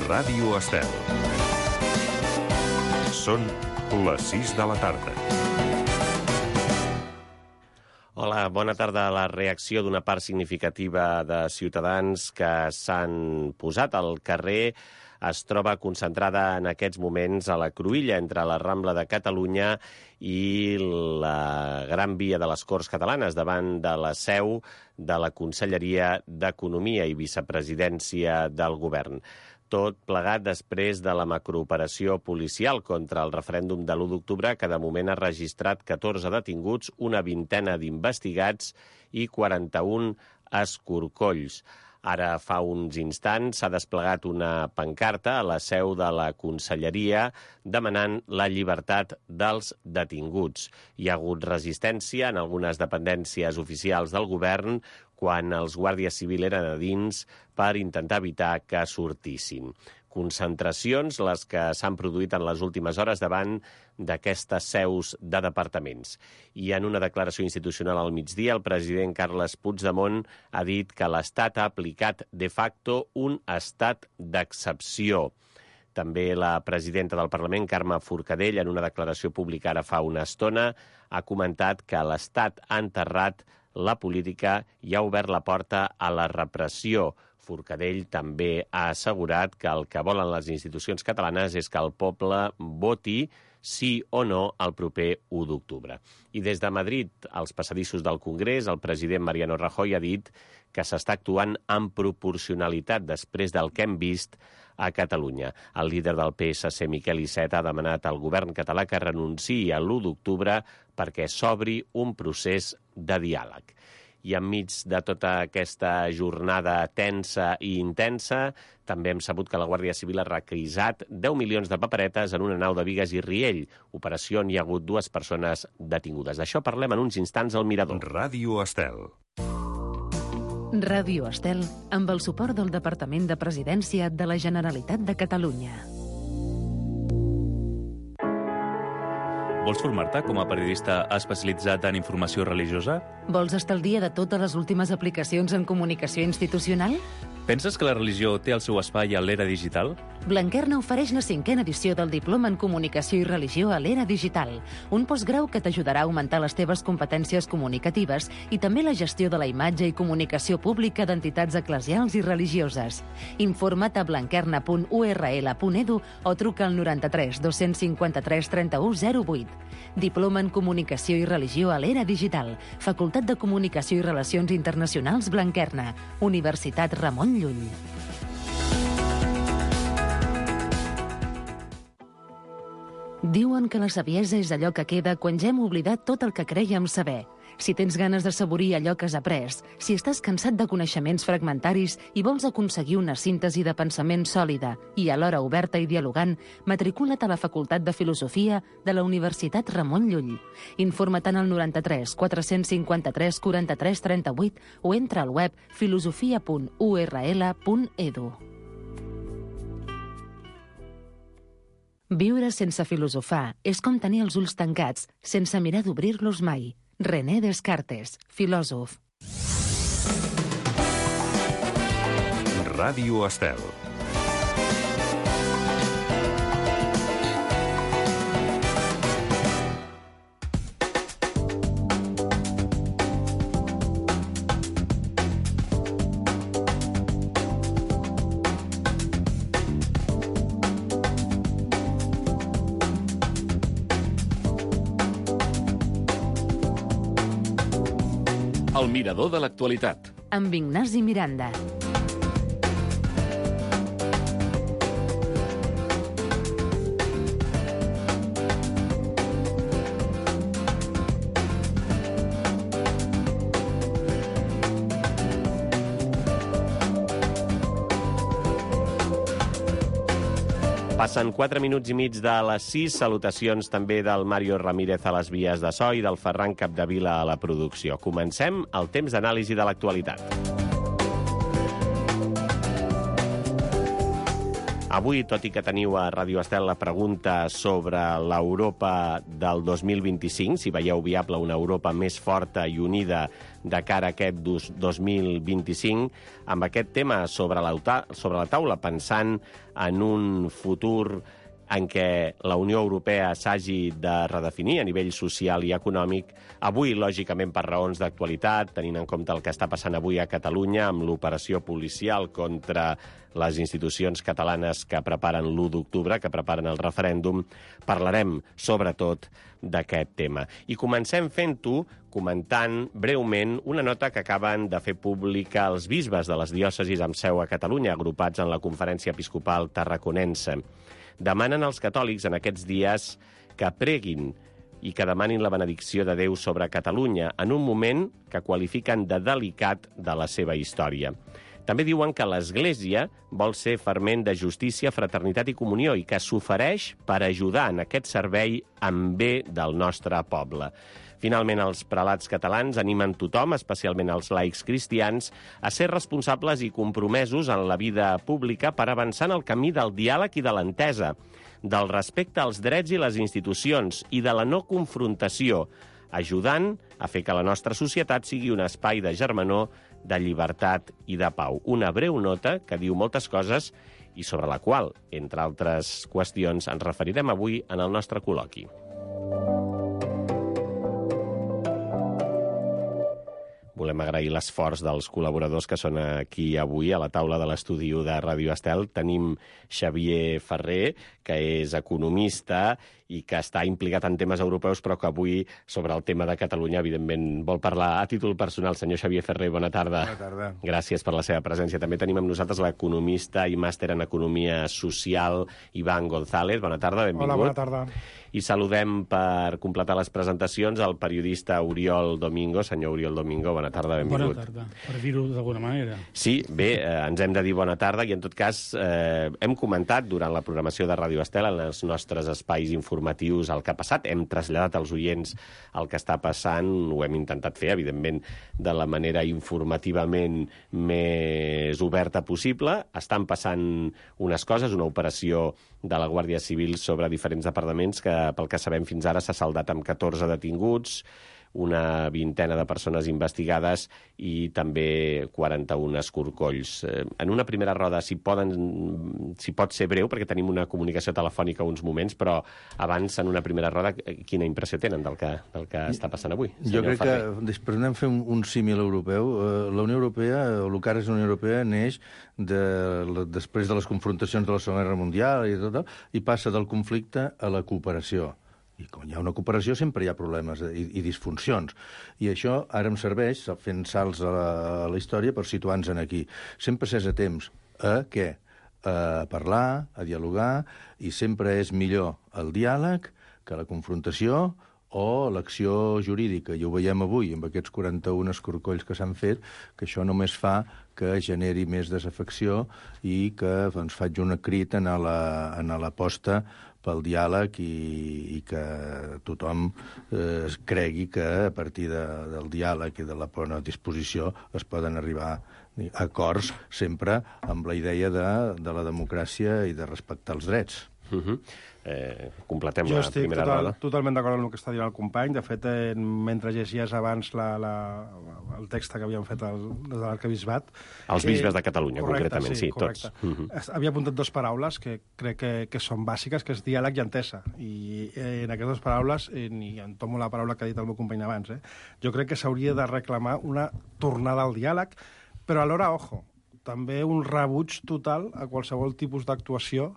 Ràdio Estel. Són les 6 de la tarda. Hola, bona tarda. La reacció d'una part significativa de ciutadans que s'han posat al carrer es troba concentrada en aquests moments a la cruïlla entre la Rambla de Catalunya i la Gran Via de les Corts Catalanes, davant de la seu de la Conselleria d'Economia i Vicepresidència del Govern. Tot plegat després de la macrooperació policial contra el referèndum de l'1 d'octubre, que de moment ha registrat 14 detinguts, una vintena d'investigats i 41 escorcolls. Ara, fa uns instants, s'ha desplegat una pancarta a la seu de la Conselleria demanant la llibertat dels detinguts. Hi ha hagut resistència en algunes dependències oficials del govern quan els guàrdies civils eren a dins per intentar evitar que sortissin. Concentracions les que s'han produït en les últimes hores davant d'aquestes seus de departaments. I en una declaració institucional al migdia, el president Carles Puigdemont ha dit que l'Estat ha aplicat de facto un estat d'excepció. També la presidenta del Parlament, Carme Forcadell, en una declaració pública ara fa una estona, ha comentat que l'Estat ha enterrat la política i ha obert la porta a la repressió. Forcadell també ha assegurat que el que volen les institucions catalanes és que el poble voti sí o no el proper 1 d'octubre. I des de Madrid, als passadissos del Congrés, el president Mariano Rajoy ha dit que s'està actuant amb proporcionalitat després del que hem vist a Catalunya. El líder del PSC, Miquel Iceta, ha demanat al govern català que renunciï a l'1 d'octubre perquè s'obri un procés de diàleg. I enmig de tota aquesta jornada tensa i intensa, també hem sabut que la Guàrdia Civil ha requisat 10 milions de paperetes en una nau de Bigues i Riell, operació on hi ha hagut 2 persones detingudes. D'això parlem en uns instants al Mirador. Ràdio Estel. Ràdio Estel, amb el suport del Departament de Presidència de la Generalitat de Catalunya. Vols formar-te com a periodista especialitzat en informació religiosa? Vols estar al dia de totes les últimes aplicacions en comunicació institucional? Penses que la religió té el seu espai a l'era digital? Blanquerna ofereix la 5a edició del Diploma en Comunicació i Religió a l'era digital, un postgrau que t'ajudarà a augmentar les teves competències comunicatives i també la gestió de la imatge i comunicació pública d'entitats eclesials i religioses. Informa't a blanquerna.url.edu o truca al 93 253 31 08. Diploma en Comunicació i Religió a l'era digital, Facultat de Comunicació i Relacions Internacionals Blanquerna, Universitat Ramon Llull. Diuen que la saviesa és allò que queda quan ja hem oblidat tot el que crèiem saber. Si tens ganes de saborir allò que has après, si estàs cansat de coneixements fragmentaris i vols aconseguir una síntesi de pensament sòlida i alhora oberta i dialogant, matricula't a la Facultat de Filosofia de la Universitat Ramon Llull. Informa't al 93 453 43 38 o entra al web filosofia.url.edu. Viure sense filosofar és com tenir els ulls tancats sense mirar d'obrir-los mai. René Descartes, filòsof. Ràdio Estel. El Mirador de l'actualitat. Amb Ignasi Miranda. Passen 4 minuts i mig de les 6. Salutacions també del Mario Ramírez a les vies de so i del Ferran Capdevila a la producció. Comencem el temps d'anàlisi de l'actualitat. Avui, tot i que teniu a Ràdio Estel la pregunta sobre l'Europa del 2025, si veieu viable una Europa més forta i unida de cara a aquest 2025, amb aquest tema sobre la taula, pensant en un futur en què la Unió Europea s'hagi de redefinir a nivell social i econòmic, avui, lògicament, per raons d'actualitat, tenint en compte el que està passant avui a Catalunya amb l'operació policial contra les institucions catalanes que preparen l'1 d'octubre, que preparen el referèndum, parlarem, sobretot, d'aquest tema. I comencem fent-ho comentant breument una nota que acaben de fer pública els bisbes de les diòcesis amb seu a Catalunya, agrupats en la Conferència Episcopal Tarraconense. Demanen als catòlics en aquests dies que preguin i que demanin la benedicció de Déu sobre Catalunya en un moment que qualifiquen de delicat de la seva història. També diuen que l'Església vol ser ferment de justícia, fraternitat i comunió i que s'ofereix per ajudar en aquest servei en bé del nostre poble. Finalment, els prelats catalans animen tothom, especialment els laics cristians, a ser responsables i compromesos en la vida pública per avançar en el camí del diàleg i de l'entesa, del respecte als drets i les institucions i de la no confrontació, ajudant a fer que la nostra societat sigui un espai de germanor, de llibertat i de pau. Una breu nota que diu moltes coses i sobre la qual, entre altres qüestions, ens referirem avui en el nostre col·loqui. Volem agrair l'esforç dels col·laboradors que són aquí avui a la taula de l'estudi de Ràdio Estel. Tenim Xavier Ferrer, que és economista i que està implicat en temes europeus, però que avui, sobre el tema de Catalunya, evidentment, vol parlar a títol personal. Senyor Xavier Ferrer, bona tarda. Bona tarda. Gràcies per la seva presència. També tenim amb nosaltres l'economista i màster en Economia Social, Iván González. Bona tarda, benvingut. Hola, bona tarda. I saludem, per completar les presentacions, el periodista Oriol Domingo. Senyor Oriol Domingo, bona tarda, benvingut. Bona tarda, per dir-ho d'alguna manera. Sí, bé, ens hem de dir bona tarda i, en tot cas, hem comentat durant la programació de Ràdio Estel, en els nostres espais informatius, el que ha passat. Hem traslladat als oients el que està passant. Ho hem intentat fer, evidentment, de la manera informativament més oberta possible. Estan passant unes coses, una operació de la Guàrdia Civil sobre diferents departaments que, pel que sabem fins ara, s'ha saldat amb 14 detinguts, una vintena de persones investigades i també 41 escorcolls. En una primera roda, si pot ser breu, perquè tenim una comunicació telefònica uns moments, però abans, en una primera roda, quina impressió tenen del que està passant avui? Jo crec que, després anem a fer un símil europeu. La Unió Europea, o el que ara és la Unió Europea, neix després de les confrontacions de la Segona Guerra Mundial i passa del conflicte a la cooperació. I quan hi ha una cooperació sempre hi ha problemes i disfuncions. I això ara em serveix, fent salts a la història, per situar-nos aquí. Sempre s'és a temps a què? A parlar, a dialogar, i sempre és millor el diàleg que la confrontació o l'acció jurídica. I ho veiem avui, amb aquests 41 escorcolls que s'han fet, que això només fa que generi més desafecció i que faig un crit en l'aposta pel diàleg i que tothom cregui que a partir del diàleg i de la bona disposició es poden arribar a acords sempre amb la idea de la democràcia i de respectar els drets. Completem la primera roda. Jo estic totalment d'acord amb el que està dient el company. De fet, mentre llegies abans el text que havíem fet des de l'arquebisbat... Els bisbes de Catalunya, concretament, sí, tots. Havia apuntat dues paraules que crec que són bàsiques, que és diàleg i entesa. I en aquestes dues paraules, i em tomo la paraula que ha dit el meu company abans, jo crec que s'hauria de reclamar una tornada al diàleg, però alhora, ojo, també un rebuig total a qualsevol tipus d'actuació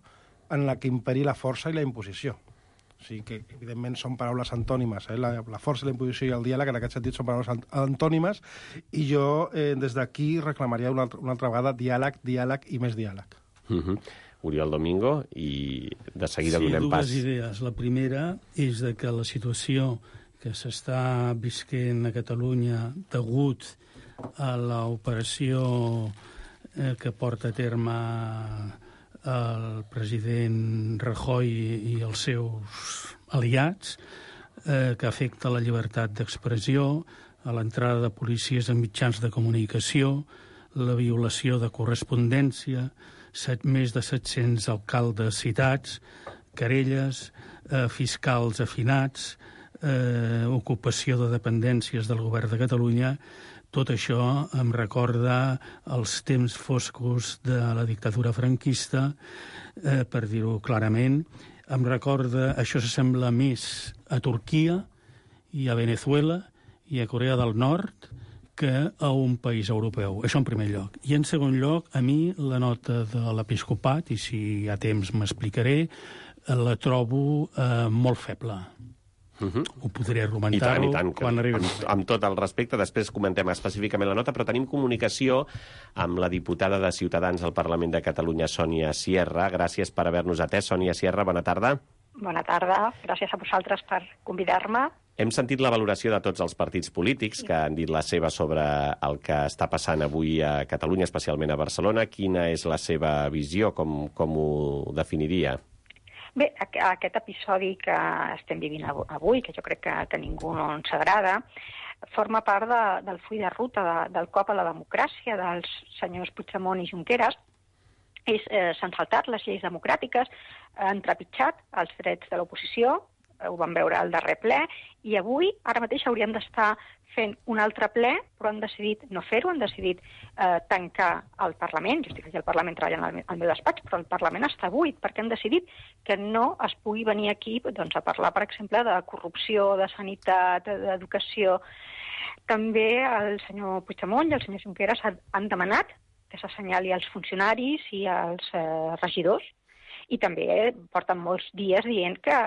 en la que imperi la força i la imposició. O sigui que, evidentment, són paraules antònimes. La força, la imposició i el diàleg, en aquest sentit, són paraules antònimes, i jo, des d'aquí, reclamaria una altra vegada diàleg i més diàleg. Oriol Domingo, i de seguida donem pas. Sí, dues idees. La primera és que la situació que s'està visquent a Catalunya degut a l'operació que porta a terme el president Rajoy i els seus aliats, que afecta la llibertat d'expressió, a l'entrada de policies en mitjans de comunicació, la violació de correspondència, més de 700 alcaldes citats, querelles, fiscals afinats, ocupació de dependències del govern de Catalunya. Tot això em recorda els temps foscos de la dictadura franquista, per dir-ho clarament. Em recorda, això s'assembla més a Turquia i a Venezuela i a Corea del Nord que a un país europeu. Això en primer lloc. I en segon lloc, a mi la nota de l'episcopat, i si hi ha temps m'explicaré, la trobo molt feble. Ho podré argumentar-ho quan arribi. Amb tot el respecte, després comentem específicament la nota, però tenim comunicació amb la diputada de Ciutadans al Parlament de Catalunya, Sònia Sierra. Gràcies per haver-nos atès. Sònia Sierra, bona tarda. Bona tarda. Gràcies a vosaltres per convidar-me. Hem sentit la valoració de tots els partits polítics que han dit la seva sobre el que està passant avui a Catalunya, especialment a Barcelona. Quina és la seva visió? Com ho definiria? Bé, aquest episodi que estem vivint avui, que jo crec que a ningú no ens agrada, forma part del full de ruta del cop a la democràcia dels senyors Puigdemont i Junqueras. S'han saltat les lleis democràtiques, han trepitjat els drets de l'oposició, ho vam veure al darrer ple, i avui, ara mateix, hauríem d'estar fent un altre ple, però han decidit no fer-ho, han decidit tancar el Parlament. Jo estic aquí al Parlament treballant al meu despatx, però el Parlament està buit, perquè han decidit que no es pugui venir aquí doncs, a parlar, per exemple, de corrupció, de sanitat, d'educació. També el senyor Puigdemont i el senyor Junqueras han demanat que s'assenyali als funcionaris i als regidors, i també porten molts dies dient que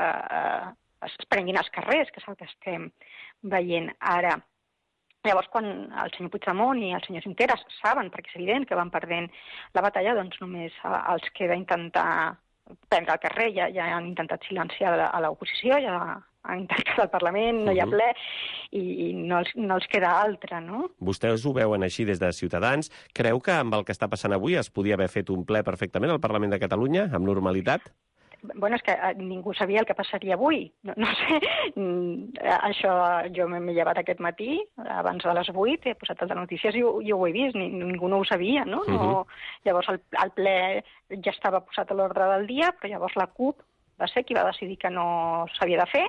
es prenguin els carrers, que és el que estem veient ara. Llavors, quan el senyor Puigdemont i el senyor Junqueras saben, perquè és evident que van perdent la batalla, doncs només els queda intentar prendre el carrer. Ja han intentat silenciar a l'oposició, ja han tancat el Parlament, no hi ha ple, i no els queda altra, no? Vostès ho veuen així des de Ciutadans. Creu que amb el que està passant avui es podia haver fet un ple perfectament al Parlament de Catalunya, amb normalitat? Bueno, és que ningú sabia el que passaria avui. No sé, això jo m'he llevat aquest matí, abans de les 8, he posat el de notícies i jo ho he vist, ningú no ho sabia, no? Llavors el ple ja estava posat a l'ordre del dia, però llavors la CUP va ser qui va decidir que no s'havia de fer,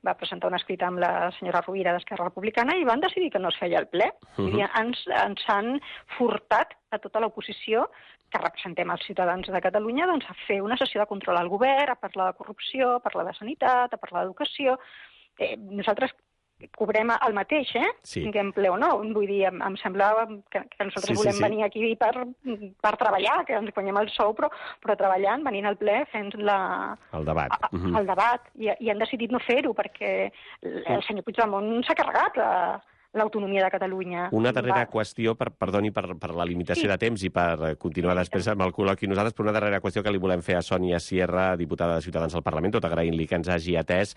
va presentar un escrit amb la senyora Rovira d'Esquerra Republicana i van decidir que no es feia el ple. Ens han furtat a tota l'oposició que representem els ciutadans de Catalunya doncs, a fer una sessió de control al govern, a parlar de corrupció, a parlar de sanitat, a parlar d'educació. Nosaltres cobrem el mateix, Sí. Tinguem ple o no. Vull dir, em sembla que nosaltres volem venir aquí per treballar, que ens guanyem el sou, però treballant, venint al ple, fent el debat. El debat. I han decidit no fer-ho perquè el senyor Puigdemont s'ha carregat l'autonomia de Catalunya. Una darrera qüestió, perdoni per la limitació de temps i per continuar després amb el col·loqui nosaltres, però una darrera qüestió que li volem fer a Sònia Sierra, diputada de Ciutadans al Parlament, tot agraint-li que ens hagi atès.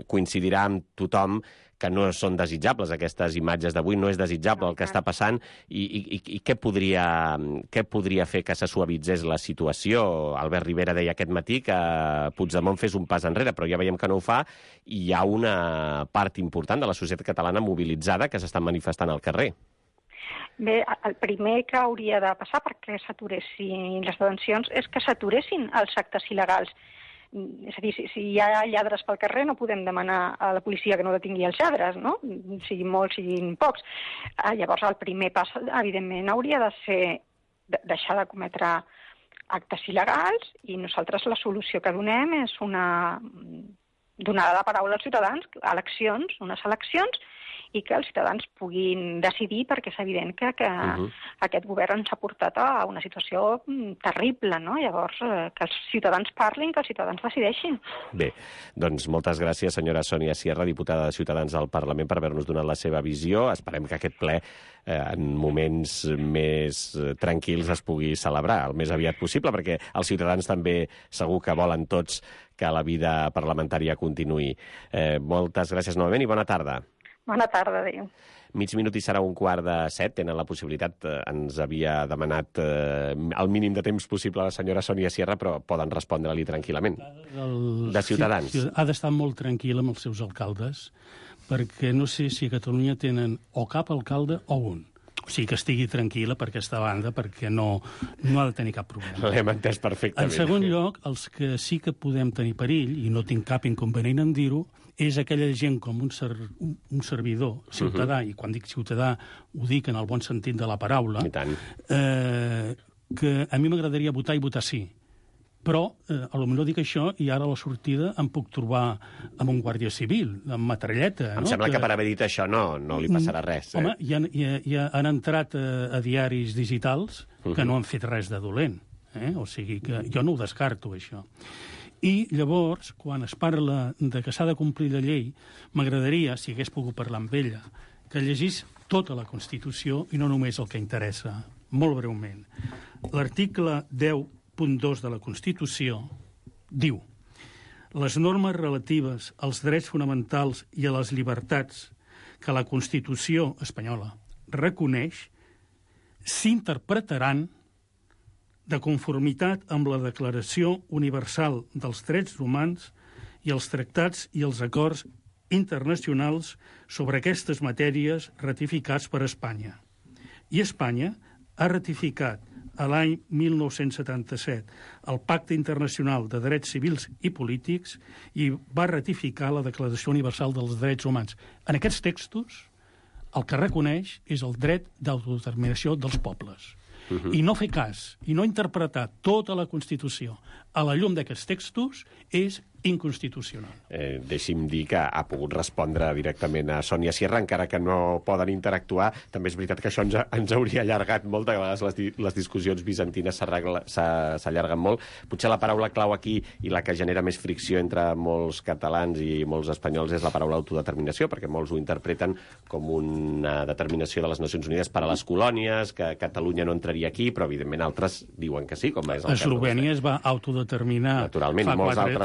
Coincidirà amb tothom que no són desitjables aquestes imatges d'avui, no és desitjable el que està passant, i què podria fer que se suavitzés la situació? Albert Rivera deia aquest matí que Puigdemont fes un pas enrere, però ja veiem que no ho fa, i hi ha una part important de la societat catalana mobilitzada que s'estan manifestant al carrer. Bé, el primer que hauria de passar perquè s'aturessin les detencions és que s'aturessin els actes il·legals. És a dir, si hi ha lladres pel carrer no podem demanar a la policia que no detingui els lladres, no? Siguin molts, siguin pocs. Llavors, el primer pas, evidentment, hauria de ser deixar de cometre actes il·legals, i nosaltres la solució que donem és donar la paraula als ciutadans, unes eleccions, i que els ciutadans puguin decidir, perquè és evident que aquest govern ens ha portat a una situació terrible, no? Llavors, que els ciutadans parlin, que els ciutadans decideixin. Bé, doncs moltes gràcies, senyora Sònia Sierra, diputada de Ciutadans al Parlament, per haver-nos donat la seva visió. Esperem que aquest ple, en moments més tranquils, es pugui celebrar el més aviat possible, perquè els ciutadans també segur que volen tots que la vida parlamentària continuï. Moltes gràcies novament i bona tarda. Bona tarda, adéu. Mig minut i serà 6:45. Tenen la possibilitat, ens havia demanat el mínim de temps possible a la senyora Sònia Sierra, però poden respondre-li tranquil·lament. De Ciutadans. Ha d'estar molt tranquil amb els seus alcaldes, perquè no sé si a Catalunya tenen o cap alcalde o un. O sigui, que estigui tranquil·la per aquesta banda, perquè no ha de tenir cap problema. L'hem entès perfectament. En segon lloc, els que sí que podem tenir perill, i no tinc cap inconvenient en dir-ho, és aquella gent com un servidor, ciutadà, i quan dic ciutadà ho dic en el bon sentit de la paraula, I tant. Que a mi m'agradaria votar i votar sí. Però, potser dic això i ara a la sortida em puc trobar amb un guàrdia civil, amb metralleta. Em sembla que per haver dit això no li passarà res. Home, ja han entrat a diaris digitals que no han fet res de dolent. O sigui que jo no ho descarto, això. I llavors, quan es parla de que s'ha de complir la llei, m'agradaria, si hagués pogut parlar amb ella, que llegís tota la Constitució i no només el que interessa, molt breument. L'article 10.2 de la Constitució diu: les normes relatives als drets fonamentals i a les llibertats que la Constitució espanyola reconeix s'interpretaran de conformitat amb la Declaració Universal dels Drets Humans i els tractats i els acords internacionals sobre aquestes matèries ratificats per Espanya. I Espanya ha ratificat a l'any 1977 el Pacte Internacional de Drets Civils i Polítics i va ratificar la Declaració Universal dels Drets Humans. En aquests textos, el que reconeix és el dret d'autodeterminació dels pobles. I no fer cas, i no interpretar tota la Constitució a la llum d'aquests textos és inconstitucional. Deixi'm dir que ha pogut respondre directament a Sònia Sierra, encara que no poden interactuar. També és veritat que això ens hauria allargat molt, de vegades les discussions bizantines s'allarguen molt. Potser la paraula clau aquí i la que genera més fricció entre molts catalans i molts espanyols és la paraula autodeterminació, perquè molts ho interpreten com una determinació de les Nacions Unides per a les colònies, que Catalunya no entraria aquí, però evidentment altres diuen que sí, com és el cas. Eslovènia es va autodeterminar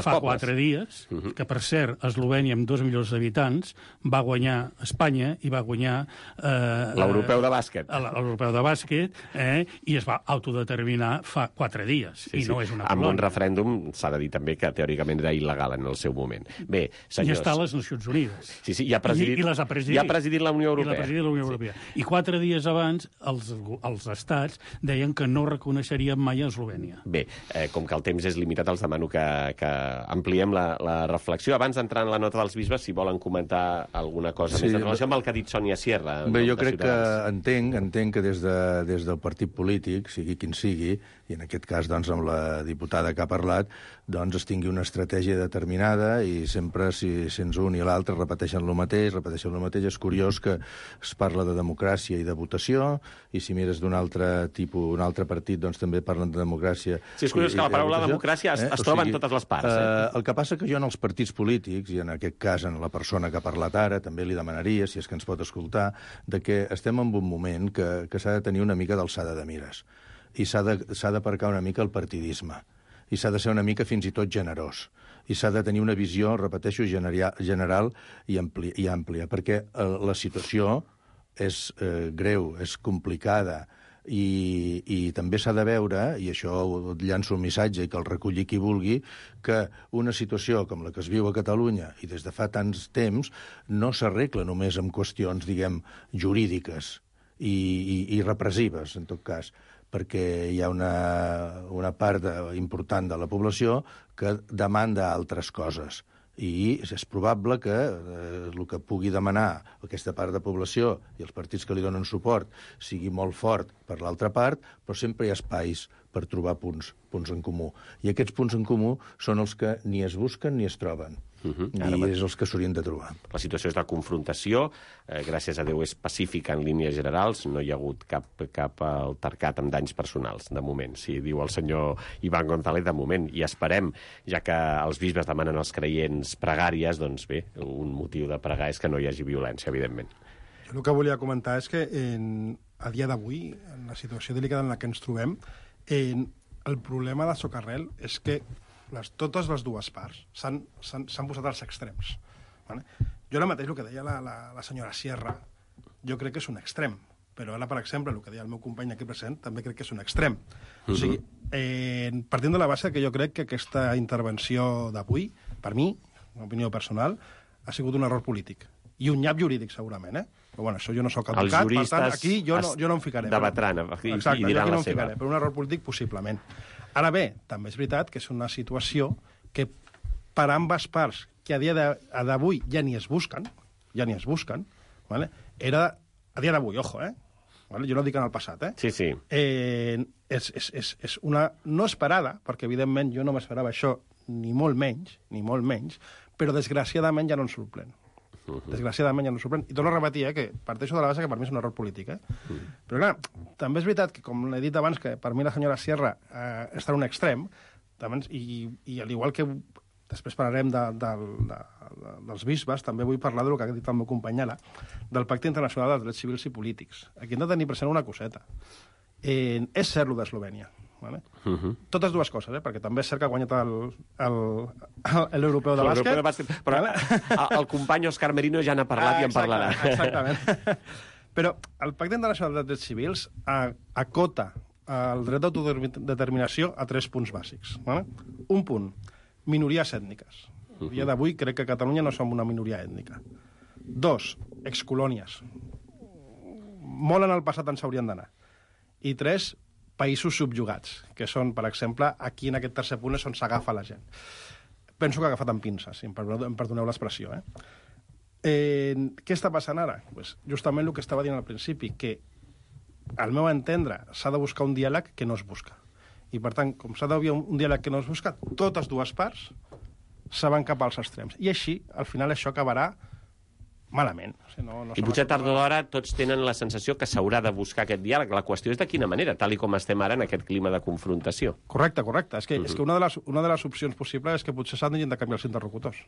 fa 4 dies, que per cert, Eslovènia amb 2 milions d'habitants va guanyar Espanya i va guanyar l'europeu de bàsquet. L'europeu de bàsquet, i es va autodeterminar fa 4 dies. I no és una colònia. Amb un referèndum s'ha de dir també que teòricament era il·legal en el seu moment. Bé, senyors... I està a les Nacions Unides. Sí, i ha presidit la Unió Europea. I la presidit la Unió Europea. I 4 dies abans els estats deien que no reconeixerien mai a Eslovènia. Bé, com que el temps és limitat, els demano que ampliem la reflexió. Abans d'entrar en la nota dels bisbes, si volen comentar alguna cosa més en relació amb el que ha dit Sònia Sierra. Bé, jo crec que entenc que des del partit polític, sigui quin sigui, i en aquest cas doncs, amb la diputada que ha parlat, doncs es tingui una estratègia determinada i sempre, si sents un i l'altre repeteixen el mateix. És curiós que es parla de democràcia i de votació, i si mires d'un altre tipus, un altre partit, doncs també parlen de democràcia. Sí, és curiós que la paraula democràcia es troba en totes les parts. El que passa que jo en els partits polítics, i en aquest cas en la persona que ha parlat ara, també li demanaria, si és que ens pot escoltar, de que estem en un moment que s'ha de tenir una mica d'alçada de mires. I s'ha d'aparcar una mica el partidisme. I s'ha de ser una mica fins i tot generós. I s'ha de tenir una visió, repeteixo, general i àmplia, perquè la situació és greu, és complicada, i també s'ha de veure, i això llanço un missatge i que el reculli qui vulgui, que una situació com la que es viu a Catalunya i des de fa tants temps no s'arregla només amb qüestions, diguem, jurídiques i repressives, en tot cas, perquè hi ha una part important de la població que demanda altres coses. I és probable que el que pugui demanar aquesta part de població i els partits que li donen suport sigui molt fort per l'altra part, però sempre hi ha espais per trobar punts en comú. I aquests punts en comú són els que ni es busquen ni es troben. I és els que s'haurien de trobar. La situació és de confrontació, gràcies a Déu és pacífica en línies generals, no hi ha hagut cap altercat amb danys personals, de moment, si diu el senyor Iván González, de moment, i esperem, ja que els bisbes demanen als creients pregàries, doncs bé, un motiu de pregar és que no hi hagi violència, evidentment. Jo el que volia comentar és que a dia d'avui, en la situació delicada en la que ens trobem, el problema de Socarrel és que totes les dues parts s'han posat als extrems. Vale? Jo ara mateix el que deia la senyora Sierra, jo crec que és un extrem, però ara, per exemple, el que deia el meu company aquí present, també crec que és un extrem. O sigui, partint de la base que jo crec que aquesta intervenció d'avui, per mi, una opinió personal, ha sigut un error polític. I un nyap jurídic, segurament, Però bueno, això jo no soc advocat, per tant, aquí jo no em ficaré. Debatran i exacte, diran la seva. Ficaré, però un error polític, possiblement. Ara bé, també és veritat que és una situació que per ambes parts, que a dia d'avui ja ni es busquen, vale? Era a dia d'avui, ojo, vale? Jo no dic en el passat, Sí, sí. És una no esperada, perquè evidentment jo no m'esperava això, ni molt menys, però desgraciadament ja no ens sorprèn. Desgraciadament ja no ens sorprèn. I torno a repetir, que parteixo de la base que per mi és un error polític. Però clar, també és veritat que, com he dit abans, que per mi la senyora Sierra està en un extrem, i al igual que després parlarem dels bisbes, també vull parlar del que ha dit el meu company ara, del Pacte Internacional dels Drets Civils i Polítics. Aquí hem de tenir present una coseta. És cert, lo d'Eslovènia. Vale? Totes dues coses, perquè també és cert que ha guanyat l'europeu de bàsquet. Però el company Òscar Merino ja n'ha parlat i en parlarà. Exactament. Però el Pacte Internacional dels Drets Civils acota el dret d'autodeterminació a 3 punts bàsics. Vale? Un punt, minories ètniques. A dia d'avui crec que a Catalunya no som una minoria ètnica. 2, excolònies. Molt en el passat ens haurien d'anar. I 3, països subjugats, que són, per exemple, aquí en aquest tercer punt és on s'agafa la gent. Penso que ha agafat amb pinces, si em perdoneu l'expressió. Què està passant ara? Pues justament el que estava dient al principi, que al meu entendre s'ha de buscar un diàleg que no es busca. I per tant, com s'ha d'haver un diàleg que no es busca, totes dues parts se van cap als extrems. I així, al final, això acabarà malament. I potser tard o d'hora tots tenen la sensació que s'haurà de buscar aquest diàleg. La qüestió és de quina manera, tal com estem ara en aquest clima de confrontació. Correcte. És que una de les opcions possibles és que potser s'han de canviar els interlocutors.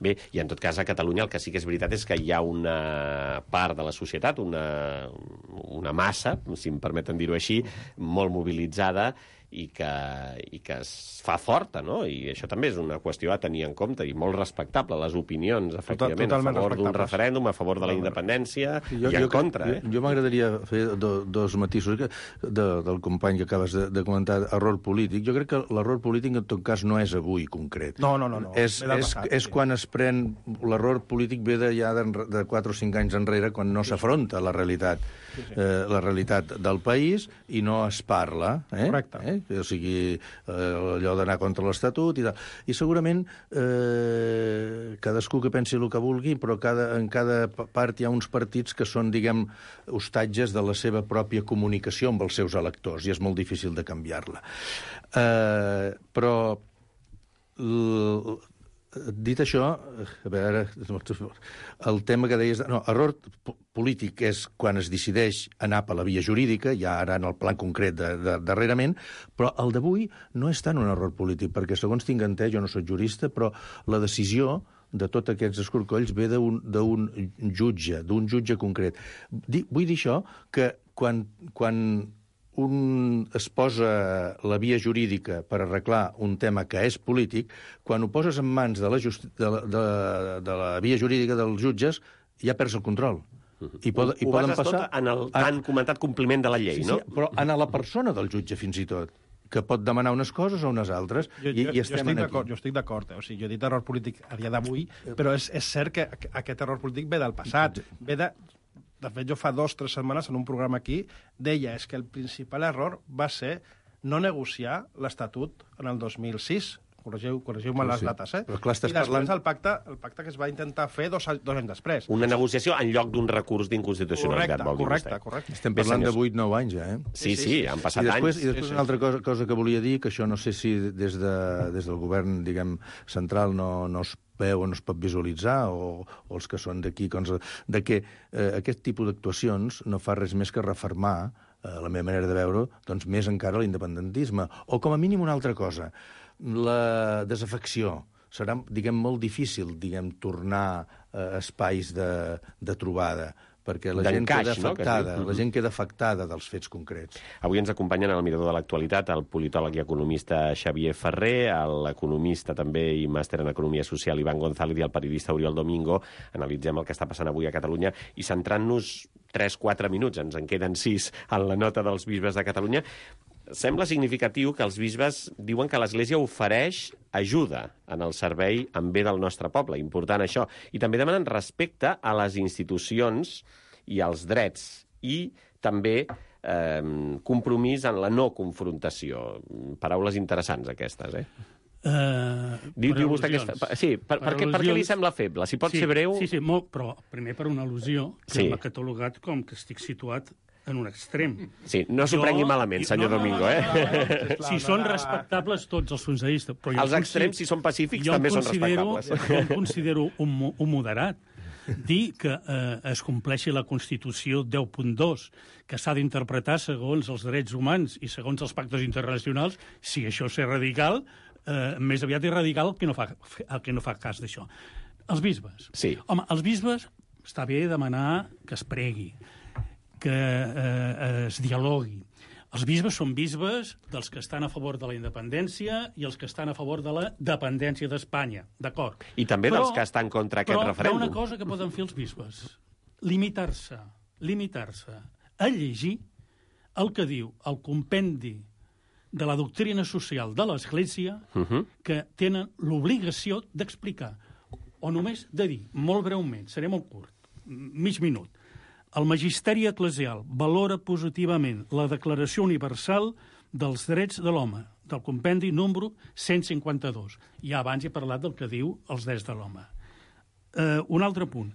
Bé, i en tot cas a Catalunya el que sí que és veritat és que hi ha una part de la societat, una massa, si em permeten dir-ho així, molt mobilitzada i que es fa forta, no? I això també és una qüestió a tenir en compte i molt respectable, les opinions, efectivament, a favor d'un referèndum, a favor de la independència i en contra. Jo m'agradaria fer dos matisos del company que acabes de comentar, error polític. Jo crec que l'error polític en tot cas no és avui concret. No. És quan es pren... L'error polític ve ja de 4 o 5 anys enrere, quan no s'afronta la realitat del país i no es parla. Correcte. O sigui, allò d'anar contra l'Estatut i tal. I segurament cadascú que pensi el que vulgui, però en cada part hi ha uns partits que són, diguem, hostatges de la seva pròpia comunicació amb els seus electors, i és molt difícil de canviar-la. Però dit això, a veure, el tema que deies... No, error polític és quan es decideix anar per la via jurídica, ja ara en el plan concret darrerament, però el d'avui no és tant un error polític, perquè segons tinc entès, jo no soc jurista, però la decisió de tots aquests escorcolls ve d'un jutge concret. Vull dir això, que quan es posa la via jurídica per arreglar un tema que és polític, quan ho poses en mans de la via jurídica dels jutges, ja perds el control. Ho bases tot en el tan comentat compliment de la llei, no? Sí, però en la persona del jutge, fins i tot, que pot demanar unes coses o unes altres. Jo estic d'acord. O sigui, jo he dit error polític a dia d'avui, però és cert que aquest error polític ve del passat. De fet, jo fa 2 o 3 setmanes en un programa aquí deia que el principal error va ser no negociar l'Estatut en el 2006. Corregiu-me les dates, Però clar, i després el pacte que es va intentar fer 2 anys després. Una negociació en lloc d'un recurs d'inconstitucionalitat, vol dir vostè. Correcte. Estem parlant de 8-9 anys, ja, Sí, han passat anys. I després una altra cosa que volia dir, que això no sé si des del govern, diguem, central no es veu o no es pot visualitzar, o els que són d'aquí, de que aquest tipus d'actuacions no fa res més que refermar, la meva manera de veure, doncs més encara l'independentisme. O com a mínim una altra cosa, la desafecció. Serà, diguem, molt difícil, tornar a espais de trobada, perquè la gent queda afectada, la gent queda afectada dels fets concrets. Avui ens acompanyen al Mirador de l'Actualitat el politòleg i economista Xavier Ferrer, l'economista també i màster en Economia Social Iván González i el periodista Oriol Domingo. Analitzem el que està passant avui a Catalunya i centrant-nos 3-4 minuts, ens en queden 6 en la nota dels bisbes de Catalunya. Sembla significatiu que els bisbes diuen que l'Església ofereix ajuda en el servei en bé del nostre poble. Important això. I també demanen respecte a les institucions i als drets. I també compromís en la no confrontació. Paraules interessants, aquestes, Diu vostè que... Sí, per què li sembla feble? Si pot ser breu... Sí, molt, però primer per una al·lusió que m'ha catalogat com que estic situat en un extrem. Sí, no s'ho prengui malament, senyor Domingo, Si són respectables tots els punts de vista. Els extrems, si són pacífics, també són respectables. Jo em considero un moderat. Dir que es compleixi la Constitució 10.2, que s'ha d'interpretar segons els drets humans i segons els pactes internacionals, si això és radical, més aviat és radical el que no fa cas d'això. Els bisbes. Sí. Home, els bisbes està bé demanar que es pregui, que es dialogui. Els bisbes són bisbes dels que estan a favor de la independència i els que estan a favor de la dependència d'Espanya, d'acord? I també dels que estan contra aquest referèndum. Però hi ha una cosa que poden fer els bisbes. Limitar-se a llegir el que diu el compendi de la doctrina social de l'Església que tenen l'obligació d'explicar, o només de dir, molt breument, seré molt curt, mig minut. El magisteri eclesial valora positivament la Declaració Universal dels Drets de l'Home, del compendi número 152. Ja abans he parlat del que diu els drets de l'home. Un altre punt.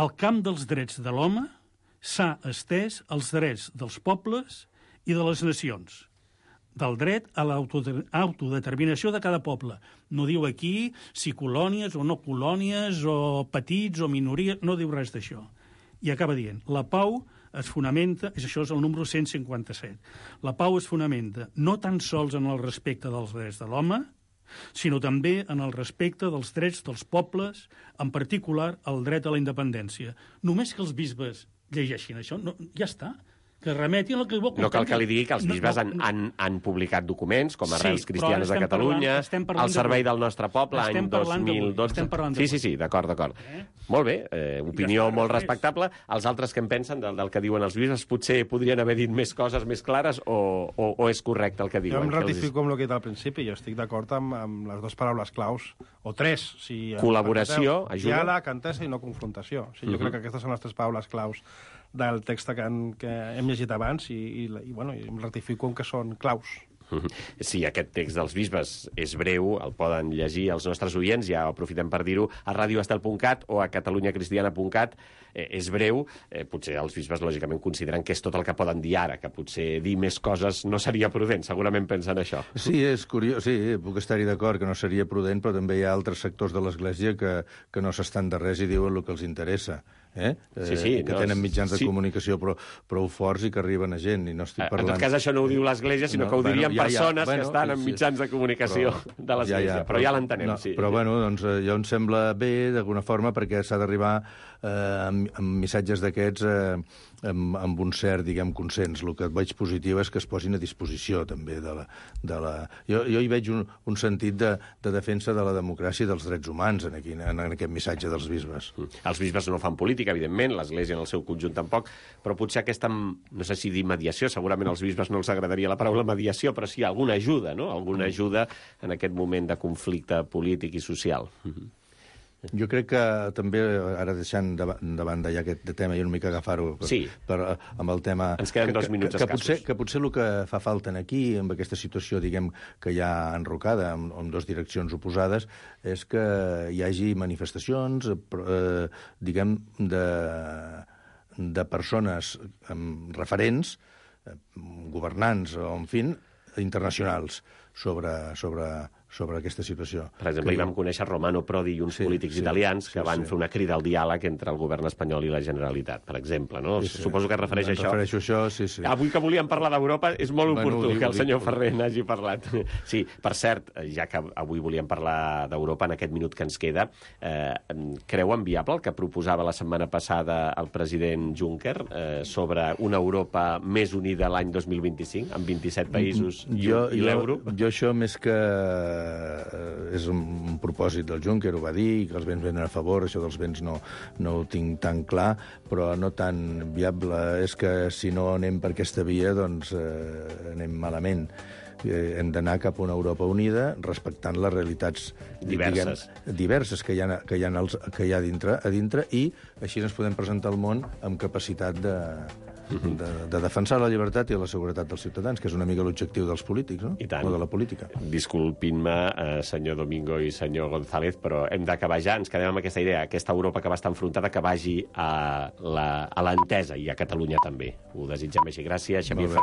El camp dels drets de l'home s'ha estès als drets dels pobles i de les nacions, del dret a l'autodeterminació de cada poble. No diu aquí si colònies o no colònies, o petits o minories, no diu res d'això. I acaba dient, la pau es fonamenta, això és el número 157, la pau es fonamenta no tan sols en el respecte dels drets de l'home, sinó també en el respecte dels drets dels pobles, en particular el dret a la independència. Només que els bisbes llegeixin això, ja està. Que remetin el que vol no cal que li digui que els bisbes han publicat documents, com Arrels Cristianes de Catalunya, el Servei del Nostre Poble, any 2012... Sí, d'acord. Molt bé, opinió molt respectable. Els altres que en pensen del que diuen els bisbes potser podrien haver dit més coses més clares o és correcte el que diuen? Jo em ratifico amb el que he dit al principi. Jo estic d'acord amb les dues paraules claus, o tres. Col·laboració, ajuda. Diàleg, entesa i no confrontació. Jo crec que aquestes són les tres paraules claus del text que hem llegit abans i em ratifico en que són claus. Sí, aquest text dels bisbes és breu, el poden llegir els nostres oients, ja aprofitem per dir-ho, a radioestel.cat o a catalunyacristiana.cat. És breu, potser els bisbes lògicament consideren que és tot el que poden dir ara, que potser dir més coses no seria prudent, segurament pensen això. Sí, és curiós, sí, puc estar-hi d'acord que no seria prudent, però també hi ha altres sectors de l'Església que no s'estan de res i diuen el que els interessa. Que tenen mitjans de comunicació prou forts i que arriben a gent. I no estic parlant... En tot cas, això no ho diu l'Església, sinó que ho dirien persones que estan en mitjans de comunicació de l'Església. Però ja l'entenem, sí. Però, doncs, jo em sembla bé, d'alguna forma, perquè s'ha d'arribar amb missatges d'aquests amb un cert, consens. El que veig positiu és que es posin a disposició, també, de la... Jo hi veig un sentit de defensa de la democràcia i dels drets humans en aquest missatge dels bisbes. Els bisbes no fan política, evidentment, l'Església en el seu conjunt tampoc, però potser aquesta, no sé si dir mediació, segurament als bisbes no els agradaria la paraula mediació, però sí alguna ajuda, no? Alguna ajuda en aquest moment de conflicte polític i social. Jo crec que també, ara deixant de banda ja aquest tema i una mica agafar-ho amb el tema... Ens queden 2 minuts escassos. Que potser el que fa falta aquí, amb aquesta situació, que hi ha enrocada en dues direccions oposades, és que hi hagi manifestacions, de persones referents, governants o, en fi, internacionals, sobre aquesta situació. Per exemple, hi vam conèixer Romano Prodi i uns polítics italians que van fer una crida al diàleg entre el govern espanyol i la Generalitat, per exemple, no? Suposo que es refereix a això. Refereixo a això, sí. Avui que volíem parlar d'Europa, és molt oportú que el senyor Ferrer n'hagi parlat. Sí, per cert, ja que avui volíem parlar d'Europa, en aquest minut que ens queda, creuen viable el que proposava la setmana passada el president Juncker sobre una Europa més unida l'any 2025, amb 27 països i l'euro? Jo això, més que és un propòsit del Juncker, ho va dir, que els béns venen a favor, això dels béns no ho tinc tan clar, però no tan viable. És que si no anem per aquesta via, doncs anem malament. Hem d'anar cap a una Europa unida respectant les realitats diverses que hi ha a dintre, i així ens podem presentar al món amb capacitat de defensar la llibertat i la seguretat dels ciutadans, que és una mica l'objectiu dels polítics, no? I tant. O de la política. Disculpin-me, senyor Domingo i senyor González, però hem d'acabar ja. Ens quedem amb aquesta idea, aquesta Europa que va estar enfrontada, que vagi a l'entesa, i a Catalunya també. Ho desitgem així. Gràcies, Xavier Ferrer.